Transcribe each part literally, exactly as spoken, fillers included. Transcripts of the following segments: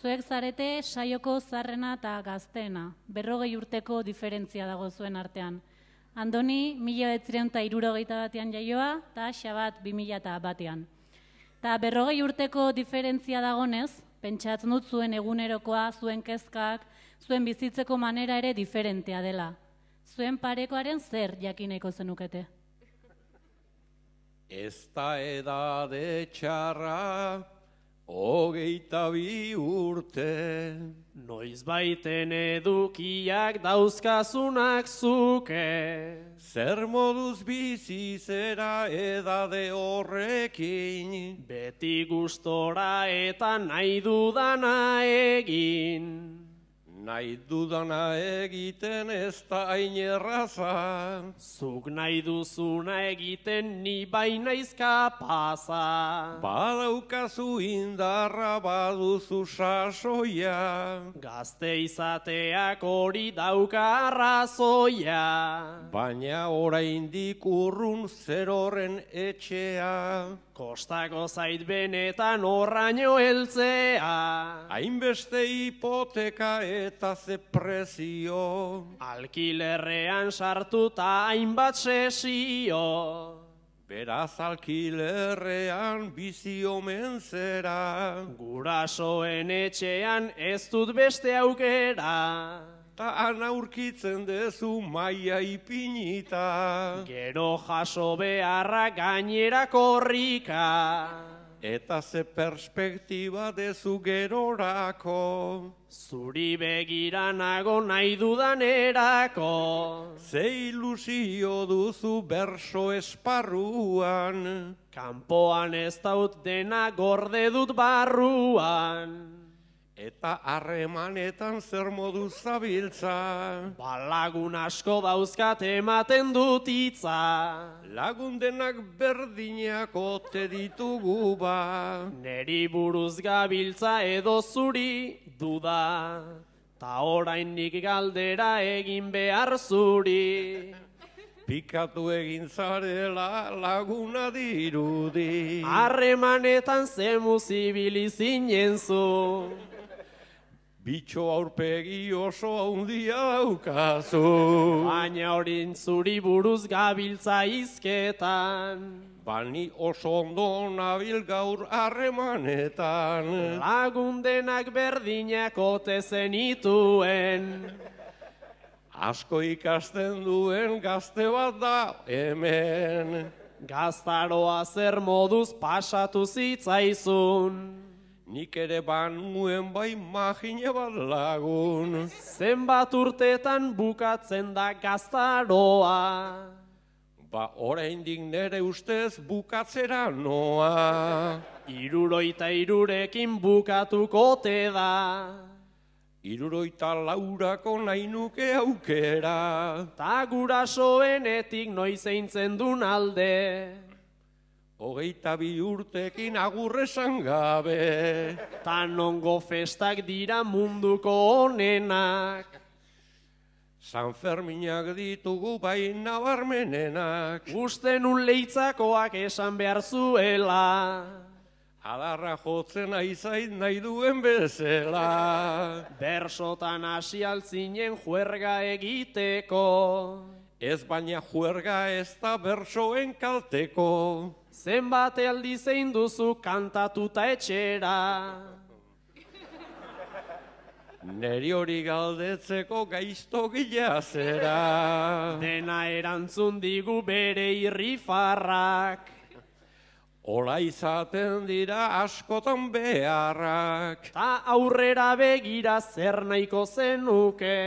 Zuek zarete saioko zarrena eta gazteena, berrogei urteko diferentzia dago zuen artean. Andoni, mila bederatziehun eta hirurogeita batean jaioa, eta Xabat bi mila batean. Ta berrogei urteko diferentzia dagonez, pentsatzen dut zuen egunerokoa, zuen kezkak, zuen bizitzeko manera ere diferentea dela. Zuen parekoaren zer jakineko zenukete? Ez da edade txarra, hogeita bi urte. Noiz baiten edukiak dauzkazunak zuke. Zer moduz bizi zera edade horrekin. Beti gustora eta nahi dudana egin. Nahi dudana egiten ez da hain erraza. Zuk nahi duzuna egiten ni bainaiz kapaza. Badaukazu indarra baduzu sasoia. Gazte izateak hori dauka arrazoia. Baina oraindik urrun zer horren etxea. Kostako zait benetan horraino heltzea. Hainbeste hipoteka eta ze prezio. Alkilerrean sartuta hainbat sesio. Beraz alkilerrean bizi omen zera. Gurasoen etxean ez dut beste aukera. Ta ana aurkitzen dezu maia ipinita. Gero jaso beharra gainera korrika. Eta ze perspektiba dezu gerorako. Zuri begira nago nahi dudanerako. Ze ilusio duzu berso esparruan. Kanpoan ez daut dena gorde dut barruan. Eta harremanetan zer modu zabiltza. Balagun asko dauzkat ematen dut hitza. Lagun denak berdinak ote ditugu ba. Neri buruz gabiltza edo zuri duda. Ta orainik galdera egin behar zuri. Pikatu egin zarela laguna dirudi. Harremanetan zemu zibili zinen zu. Bitxo aurpegi oso handia daukazu. Baina horin zuri buruz gabiltza izketan. Bani oso ondo nabil gaur harremanetan. Lagundenak berdinak ote zenituen. Asko ikasten duen gazte bat da hemen. Gaztaroa zer moduz pasatu zitzaizun. Nik ere banuen bai magine bat lagun. Zenbat urtetan bukatzen da gaztaroa. Ba oraindik nere ustez bukatzera noa. Hirurogeita hirurekin bukatuko te da. Hirurogeita laurako nahi nuke aukera. Ta gurasoenetik noiz eintzen dun alde. Hogeita bi urtekin agurrezan gabe. Ta nongo festak dira munduko honenak. San Ferminak ditugu bai nabarmenenak. Uste nun leitzakoak esan behar zuela. Adarra jotzen aizait nahi duen bezala. Bersotan hasi altzinen juerga egiteko. Ez baina juerga ez da bersoen kalteko. Zenbat aldi zein duzu kantatuta etxera. Neri hori galdetzeko gaizto gila zera. Dena erantzun digu bere irrifarrak. Ola izaten dira askotan beharrak. Ta aurrera begira zer nahiko zenuke.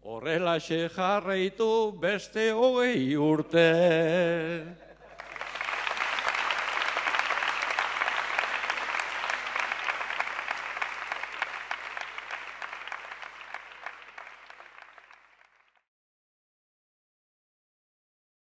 Horrelaxe jarraitu beste hogei urte.